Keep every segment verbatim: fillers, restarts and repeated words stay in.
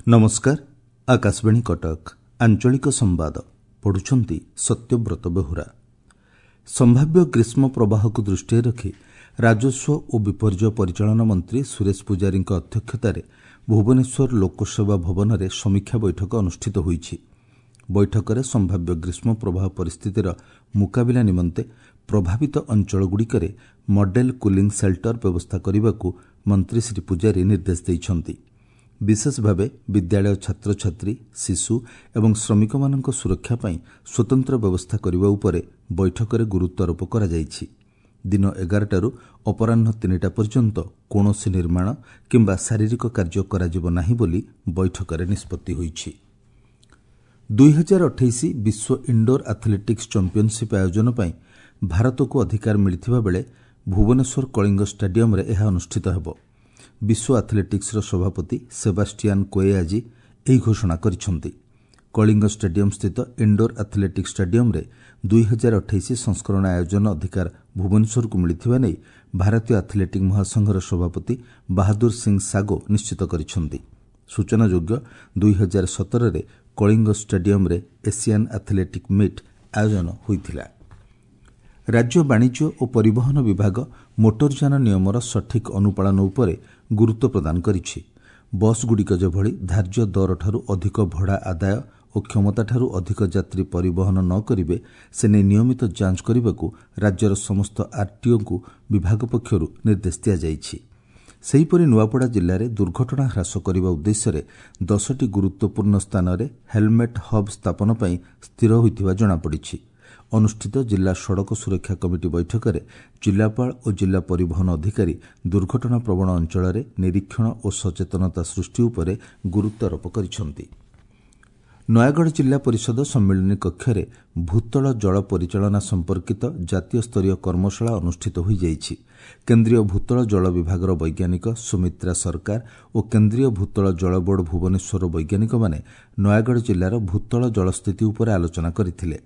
ନମସ୍କାର ଆକାଶବାଣୀ କଟକ ଆଞ୍ଚଳିକ ସମ୍ବାଦ ପଢୁଛନ୍ତି ସତ୍ୟବ୍ରତ ବେହୁରା ସମ୍ଭାବ୍ୟ ଗ୍ରୀଷ୍ମ ପ୍ରବାହକୁ ଦୃଷ୍ଟିରେ ରଖି ରାଜସ୍ୱ ଓ ବିପର୍ଯ୍ୟୟ ପରିଚାଳନା ମନ୍ତ୍ରୀ ସୁରେଶ ପୂଜାରୀଙ୍କ ଅଧ୍ୟକ୍ଷତାରେ ଭୁବନେଶ୍ୱର ଲୋକସେବା ଭବନରେ ସମୀକ୍ଷା ବୈଠକ ଅନୁଷ୍ଠିତ ହୋଇଛି ବୈଠକରେ ସମ୍ଭାବ୍ୟ ଗ୍ରୀଷ୍ମ ପ୍ରବାହ ପରିସ୍ଥିତିର ମୁକାବିଲା ନିମନ୍ତେ ପ୍ରଭାବିତ ଅଞ୍ଚଳଗୁଡ଼ିକରେ ମଡେଲ କୁଲିଂ ସେଲ୍ଟର ବ୍ୟବସ୍ଥା କରିବାକୁ ମନ୍ତ୍ରୀ ଶ୍ରୀ ପୂଜାରୀ ନିର୍ଦ୍ଦେଶ ଦେଇଛନ୍ତି ବିଶେଷ ଭାବେ ବିଦ୍ୟାଳୟ ଛାତ୍ରଛାତ୍ରୀ ଶିଶୁ ଏବଂ ଶ୍ରମିକମାନଙ୍କ ସୁରକ୍ଷା ପାଇଁ ସ୍ୱତନ୍ତ୍ର ବ୍ୟବସ୍ଥା କରିବା ଉପରେ ବୈଠକରେ ଗୁରୁତ୍ୱାରୋପ କରାଯାଇଛି ଦିନ ଏଗାରଟାରୁ ଅପରାହ୍ନ ତିନିଟା ପର୍ଯ୍ୟନ୍ତ କୌଣସି ନିର୍ମାଣ କିମ୍ବା ଶାରୀରିକ କାର୍ଯ୍ୟ କରାଯିବ ନାହିଁ ବୋଲି ବୈଠକରେ ନିଷ୍ପତ୍ତି ହୋଇଛି ଦୁଇହଜାର ଅଠେଇଶ ବିଶ୍ୱ ଇଣ୍ଡୋର ଆଥଲେଟିକ୍ସ ଚାମ୍ପିୟନସିପ୍ ଆୟୋଜନ ପାଇଁ ଭାରତକୁ ଅଧିକାର ମିଳିଥିବା ବେଳେ ଭୁବନେଶ୍ୱର କଳିଙ୍ଗ ଷ୍ଟାଡିୟମରେ ଏହା ଅନୁଷ୍ଠିତ ହେବ ବିଶ୍ୱ ଆଥଲେଟିକ୍ସର ସଭାପତି ସେବାଷ୍ଟିଆନ୍ କୋଏ ଆଜି ଏହି ଘୋଷଣା କରିଛନ୍ତି କଳିଙ୍ଗ ଷ୍ଟାଡିୟମ ସ୍ଥିତ ଇଣ୍ଡୋର ଆଥଲେଟିକ୍ସ ଷ୍ଟାଡିୟମରେ ଦୁଇହଜାର ଅଠେଇଶ ସଂସ୍କରଣ ଆୟୋଜନ ଅଧିକାର ଭୁବନେଶ୍ୱରକୁ ମିଳିଥିବା ନେଇ ଭାରତୀୟ ଆଥଲେଟିକ୍ ମହାସଂଘର ସଭାପତି ବାହାଦୁର ସିଂ ସାଗୋ ନିଶ୍ଚିତ କରିଛନ୍ତି ସୂଚନାଯୋଗ୍ୟ ଦୁଇହଜାର ସତରରେ କଳିଙ୍ଗ ଷ୍ଟାଡିୟମରେ ଏସିଆନ୍ ଆଥଲେଟିକ୍ ମିଟ୍ ଆୟୋଜନ ହୋଇଥିଲା ରାଜ୍ୟ ବାଣିଜ୍ୟ ଓ ପରିବହନ ବିଭାଗ ମୋଟରଯାନ ନିୟମର ସଠିକ୍ ଅନୁପାଳନ ଉପରେ ଗୁରୁତ୍ୱ ପ୍ରଦାନ କରିଛି ବସ୍ଗୁଡ଼ିକ ଯେଭଳି ଧାର୍ଯ୍ୟ ଦରଠାରୁ ଅଧିକ ଭଡ଼ା ଆଦାୟ ଓ କ୍ଷମତାଠାରୁ ଅଧିକ ଯାତ୍ରୀ ପରିବହନ ନ କରିବେ ସେ ନେଇ ନିୟମିତ ଯାଞ୍ଚ କରିବାକୁ ରାଜ୍ୟର ସମସ୍ତ ଆର୍ଟିଓଙ୍କୁ ବିଭାଗ ପକ୍ଷରୁ ନିର୍ଦ୍ଦେଶ ଦିଆଯାଇଛି ସେହିପରି ନୂଆପଡ଼ା ଜିଲ୍ଲାରେ ଦୁର୍ଘଟଣା ହ୍ରାସ କରିବା ଉଦ୍ଦେଶ୍ୟରେ ଦଶଟି ଗୁରୁତ୍ୱପୂର୍ଣ୍ଣ ସ୍ଥାନରେ ହେଲମେଟ୍ ହବ୍ ସ୍ଥାପନ ପାଇଁ ସ୍ଥିର ହୋଇଥିବା ଜଣାପଡ଼ିଛି ଅନୁଷ୍ଠିତ ଜିଲ୍ଲା ସଡ଼କ ସୁରକ୍ଷା କମିଟି ବୈଠକରେ ଜିଲ୍ଲାପାଳ ଓ ଜିଲ୍ଲା ପରିବହନ ଅଧିକାରୀ ଦୁର୍ଘଟଣା ପ୍ରବଣ ଅଞ୍ଚଳରେ ନିରୀକ୍ଷଣ ଓ ସଚେତନତା ସୃଷ୍ଟି ଉପରେ ଗୁରୁତ୍ୱାରୋପ କରିଛନ୍ତି ନୟାଗଡ଼ ଜିଲ୍ଲା ପରିଷଦ ସମ୍ମିଳନୀ କକ୍ଷରେ ଭୂତଳ ଜଳ ପରିଚାଳନା ସମ୍ପର୍କିତ ଜାତୀୟ ସ୍ତରୀୟ କର୍ମଶାଳା ଅନୁଷ୍ଠିତ ହୋଇଯାଇଛି କେନ୍ଦ୍ରୀୟ ଭୂତଳ ଜଳ ବିଭାଗର ବୈଜ୍ଞାନିକ ସୁମିତ୍ରା ସରକାର ଓ କେନ୍ଦ୍ରୀୟ ଭୂତଳ ଜଳ ବୋର୍ଡ ଭୁବନେଶ୍ୱରର ବୈଜ୍ଞାନିକମାନେ ନୟାଗଡ଼ ଜିଲ୍ଲାର ଭୂତଳ ଜଳ ସ୍ଥିତି ଉପରେ ଆଲୋଚନା କରିଥିଲେ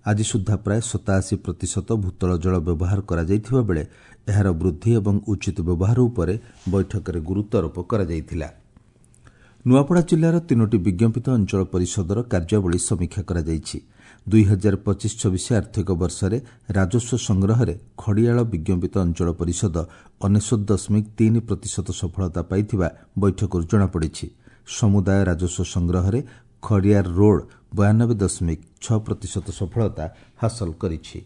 ଆଜି ସୁଦ୍ଧା ପ୍ରାୟ ସତାଅଶୀ ପ୍ରତିଶତ ଭୂତଳ ଜଳ ବ୍ୟବହାର କରାଯାଇଥିବା ବେଳେ ଏହାର ବୃଦ୍ଧି ଏବଂ ଉଚିତ ବ୍ୟବହାର ଉପରେ ବୈଠକରେ ଗୁରୁତ୍ୱାରୋପ କରାଯାଇଥିଲା ନୂଆପଡ଼ା ଜିଲ୍ଲାର ତିନୋଟି ବିଜ୍ଞାପିତ ଅଞ୍ଚଳ ପରିଷଦର କାର୍ଯ୍ୟାବଳୀ ସମୀକ୍ଷା କରାଯାଇଛି ଦୁଇହଜାର ପଚିଶ ଛବିଶ ଆର୍ଥିକ ବର୍ଷରେ ରାଜସ୍ୱ ସଂଗ୍ରହରେ ଖଡ଼ିଆଳ ବିଜ୍ଞାପିତ ଅଞ୍ଚଳ ପରିଷଦ ଅନେଶ୍ୱତ ଦଶମିକ ତିନି ପ୍ରତିଶତ ସଫଳତା ପାଇଥିବା ବୈଠକରୁ ଜଣାପଡ଼ିଛି ସମୁଦାୟ ରାଜସ୍ୱ ସଂଗ୍ରହରେ ଖଡ଼ିଆର ରୋଡ୍ ବୟାନବେ ଦଶମିକ ଛଅ ପ୍ରତିଶତ ସଫଳତା ହାସଲ କରିଛି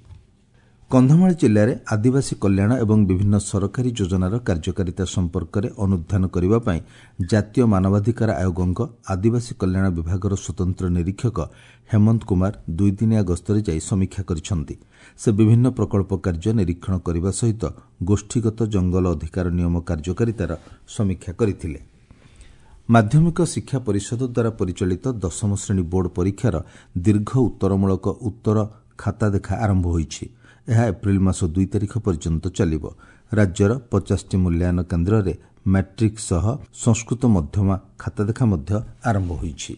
କନ୍ଧମାଳ ଜିଲ୍ଲାରେ ଆଦିବାସୀ କଲ୍ୟାଣ ଏବଂ ବିଭିନ୍ନ ସରକାରୀ ଯୋଜନାର କାର୍ଯ୍ୟକାରିତା ସମ୍ପର୍କରେ ଅନୁଧ୍ୟାନ କରିବା ପାଇଁ ଜାତୀୟ ମାନବାଧିକାର ଆୟୋଗଙ୍କ ଆଦିବାସୀ କଲ୍ୟାଣ ବିଭାଗର ସ୍ୱତନ୍ତ୍ର ନିରୀକ୍ଷକ ହେମନ୍ତ କୁମାର ଦୁଇଦିନିଆ ଗସ୍ତରେ ଯାଇ ସମୀକ୍ଷା କରିଛନ୍ତି ସେ ବିଭିନ୍ନ ପ୍ରକଳ୍ପ କାର୍ଯ୍ୟ ନିରୀକ୍ଷଣ କରିବା ସହିତ ଗୋଷ୍ଠୀଗତ ଜଙ୍ଗଲ ଅଧିକାର ନିୟମ କାର୍ଯ୍ୟକାରିତାର ସମୀକ୍ଷା କରିଥିଲେ ମାଧ୍ୟମିକ ଶିକ୍ଷା ପରିଷଦ ଦ୍ୱାରା ପରିଚାଳିତ ଦଶମ ଶ୍ରେଣୀ ବୋର୍ଡ ପରୀକ୍ଷାର ଦୀର୍ଘ ଉତ୍ତରମୂଳକ ଉତ୍ତର ଖାତା ଦେଖା ଆରମ୍ଭ ହୋଇଛି ଏହା ଏପ୍ରିଲ ମାସ ଦୁଇ ତାରିଖ ପର୍ଯ୍ୟନ୍ତ ଚାଲିବ ରାଜ୍ୟର ପଚାଶଟି ମୂଲ୍ୟାୟନ କେନ୍ଦ୍ରରେ ମାଟ୍ରିକ୍ ସହ ସଂସ୍କୃତ ମଧ୍ୟମା ଖାତା ଦେଖା ମଧ୍ୟ ଆରମ୍ଭ ହୋଇଛି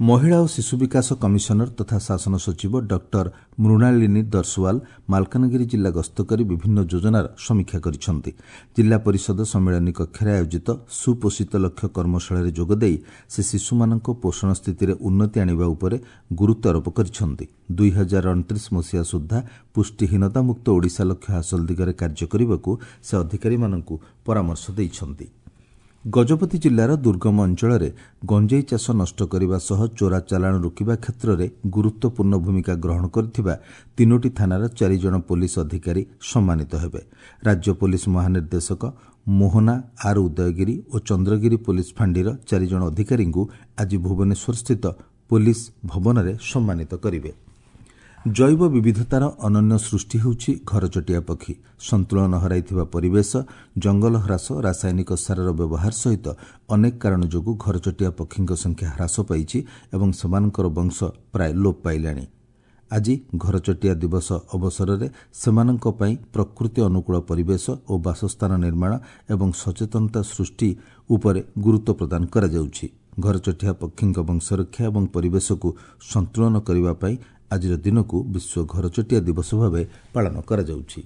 ମହିଳା ଓ ଶିଶୁ ବିକାଶ କମିଶନର ତଥା ଶାସନ ସଚିବ ଡକ୍ଟର ମୃଣାଳିନୀ ଦର୍ଶୱାଲ ମାଲକାନଗିରି ଜିଲ୍ଲା ଗସ୍ତ କରି ବିଭିନ୍ନ ଯୋଜନାର ସମୀକ୍ଷା କରିଛନ୍ତି ଜିଲ୍ଲା ପରିଷଦ ସମ୍ମିଳନୀ କକ୍ଷରେ ଆୟୋଜିତ ସୁପୋଷିତ ଲକ୍ଷ୍ୟ କର୍ମଶାଳାରେ ଯୋଗଦେଇ ସେ ଶିଶୁମାନଙ୍କ ପୋଷଣ ସ୍ଥିତିରେ ଉନ୍ନତି ଆଣିବା ଉପରେ ଗୁରୁତ୍ୱାରୋପ କରିଛନ୍ତି ଦୁଇ ହଜାର ଅଣତିରିଶ ମସିହା ସୁଦ୍ଧା ପୁଷ୍ଟିହୀନତାମୁକ୍ତ ଓଡ଼ିଶା ଲକ୍ଷ୍ୟ ହାସଲ ଦିଗରେ କାର୍ଯ୍ୟ କରିବାକୁ ସେ ଅଧିକାରୀମାନଙ୍କୁ ପରାମର୍ଶ ଦେଇଛନ୍ତି ଗଜପତି ଜିଲ୍ଲାର ଦୁର୍ଗମ ଅଞ୍ଚଳରେ ଗଞ୍ଜେଇ ଚାଷ ନଷ୍ଟ କରିବା ସହ ଚୋରା ଚାଲାଣ ରୋକିବା କ୍ଷେତ୍ରରେ ଗୁରୁତ୍ୱପୂର୍ଣ୍ଣ ଭୂମିକା ଗ୍ରହଣ କରିଥିବା ତିନୋଟି ଥାନାର ଚାରିଜଣ ପୋଲିସ ଅଧିକାରୀ ସମ୍ମାନିତ ହେବେ ରାଜ୍ୟ ପୋଲିସ ମହାନିର୍ଦ୍ଦେଶକ ମୋହନା ଆର୍ ଉଦୟଗିରି ଓ ଚନ୍ଦ୍ରଗିରି ପୋଲିସ ଫାଣ୍ଡିର ଚାରିଜଣ ଅଧିକାରୀଙ୍କୁ ଆଜି ଭୁବନେଶ୍ୱରସ୍ଥିତ ପୋଲିସ ଭବନରେ ସମ୍ମାନିତ କରିବେ ଜୈବ ବିବିଧତାର ଅନନ୍ୟ ସୃଷ୍ଟି ହେଉଛି ଘରଚଟିଆ ପକ୍ଷୀ ସନ୍ତୁଳନ ହରାଇଥିବା ପରିବେଶ ଜଙ୍ଗଲ ହ୍ରାସ ରାସାୟନିକ ସାରର ବ୍ୟବହାର ସହିତ ଅନେକ କାରଣ ଯୋଗୁଁ ଘରଚଟିଆ ପକ୍ଷୀଙ୍କ ସଂଖ୍ୟା ହ୍ରାସ ପାଇଛି ଏବଂ ସେମାନଙ୍କର ବଂଶ ପ୍ରାୟ ଲୋପ ପାଇଲାଣି ଆଜି ଘରଚଟିଆ ଦିବସ ଅବସରରେ ସେମାନଙ୍କ ପାଇଁ ପ୍ରକୃତି ଅନୁକୂଳ ପରିବେଶ ଓ ବାସସ୍ଥାନ ନିର୍ମାଣ ଏବଂ ସଚେତନତା ସୃଷ୍ଟି ଉପରେ ଗୁରୁତ୍ୱ ପ୍ରଦାନ କରାଯାଉଛି ଘରଚଟିଆ ପକ୍ଷୀଙ୍କ ବଂଶରକ୍ଷା ଏବଂ ପରିବେଶକୁ ସନ୍ତୁଳନ କରିବା ପାଇଁ ଆଜିର ଦିନକୁ ବିଶ୍ୱ ଘରଚଟିଆ ଦିବସ ଭାବେ ପାଳନ କରାଯାଉଛି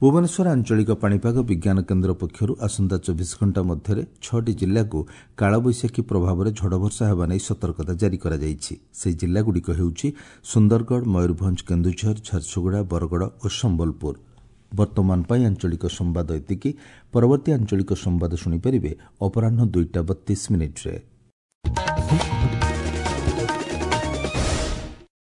ଭୁବନେଶ୍ୱର ଆଞ୍ଚଳିକ ପାଣିପାଗ ବିଜ୍ଞାନ କେନ୍ଦ୍ର ପକ୍ଷରୁ ଆସନ୍ତା ଚବିଶ ଘଣ୍ଟା ମଧ୍ୟରେ ଛଅଟି ଜିଲ୍ଲାକୁ କାଳବୈଶାଖୀ ପ୍ରଭାବରେ ଝଡ଼ବର୍ଷା ହେବା ନେଇ ସତର୍କତା ଜାରି କରାଯାଇଛି। ସେହି ଜିଲ୍ଲାଗୁଡ଼ିକ ହେଉଛି ସୁନ୍ଦରଗଡ଼, ମୟୂରଭଞ୍ଜ, କେନ୍ଦୁଝର, ଝାରସୁଗୁଡ଼ା, ବରଗଡ଼ ଓ ସମ୍ବଲପୁର। ବର୍ତ୍ତମାନ ପାଇଁ ଆଞ୍ଚଳିକ ସମ୍ବାଦ ଏତିକି। ପରବର୍ତ୍ତୀ ଆଞ୍ଚଳିକ ସମ୍ବାଦ ଶୁଣିପାରିବେ ଅପରାହ୍ନ ଦୁଇଟା ବତିଶ ମିନିଟ୍ରେ।